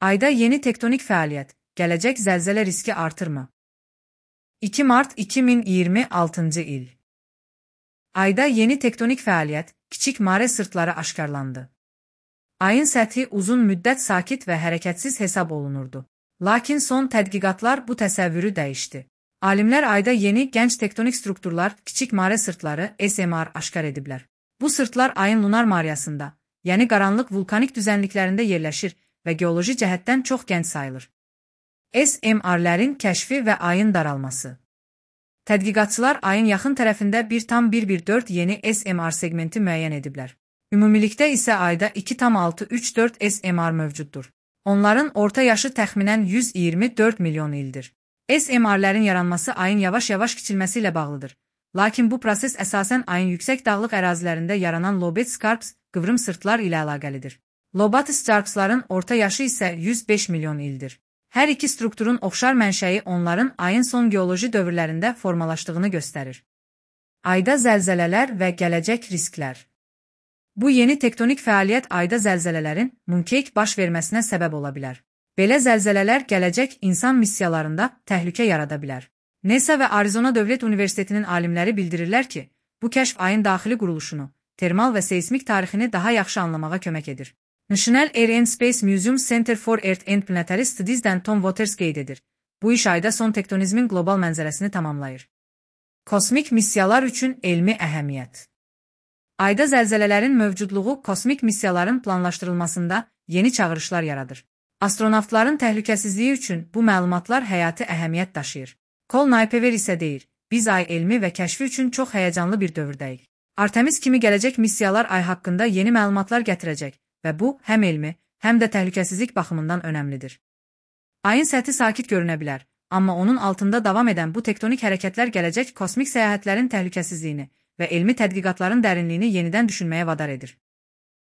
Ayda yeni tektonik fəaliyyət, gələcək zəlzələ riski artırmı? 2 mart 2026 il. Ayda yeni tektonik fəaliyyət, kiçik mare sırtları aşkarlandı. Ayın səthi uzun müddət sakit və hərəkətsiz hesab olunurdu. Lakin son tədqiqatlar bu təsəvvürü dəyişdi. Alimlər ayda yeni gənc tektonik strukturlar, kiçik mare sırtları SMR aşkar ediblər. Bu sırtlar ayın lunar maryasında, yəni qaranlıq vulkanik düzənliklərində yerləşir və geoloji cəhətdən çox gənc sayılır. SMR-lərin kəşfi və ayın daralması. Tədqiqatçılar ayın yaxın tərəfində 1,114 yeni SMR segmenti müəyyən ediblər. Ümumilikdə isə ayda 2,634 SMR mövcuddur. Onların orta yaşı təxminən 124 milyon ildir. SMR-lərin yaranması ayın yavaş-yavaş kiçilməsi ilə bağlıdır. Lakin bu proses əsasən ayın yüksək dağlıq ərazilərində yaranan lobate scarps, qıvrım sırtlar ilə əlaqəlidir. Lobate scarpsların orta yaşı isə 105 milyon ildir. Hər iki strukturun oxşar mənşəyi onların ayın son geoloji dövrlərində formalaşdığını göstərir. Ayda zəlzələlər və gələcək risklər. Bu yeni tektonik fəaliyyət ayda zəlzələlərin mooncake baş verməsinə səbəb ola bilər. Belə zəlzələlər gələcək insan missiyalarında təhlükə yarada bilər. NASA və Arizona Dövlət Universitetinin alimləri bildirirlər ki, bu kəşf ayın daxili quruluşunu, termal və seismik tarixini daha yaxşı anlamağa kömək edir. National Air and Space Museum Center for Earth and Planetary Studies'dən Tom Waters qeyd edir. Bu iş ayda son tektonizmin qlobal mənzərəsini tamamlayır. Kosmik missiyalar üçün elmi əhəmiyyət. Ayda zəlzələlərin mövcudluğu kosmik missiyaların planlaşdırılmasında yeni çağırışlar yaradır. Astronavtların təhlükəsizliyi üçün bu məlumatlar həyati əhəmiyyət daşıyır. Col Kuiper isə deyir, biz ay elmi və kəşfi üçün çox həyəcanlı bir dövrdəyik. Artemis kimi gələcək missiyalar ay haqqında yeni məlumatlar gətirəcək və bu həm elmi, həm də təhlükəsizlik baxımından önəmlidir. Ayın səthi sakit görünə bilər, amma onun altında davam edən bu tektonik hərəkətlər gələcək kosmik səyahətlərin təhlükəsizliyini və elmi tədqiqatların dərinliyini yenidən düşünməyə vadar edir.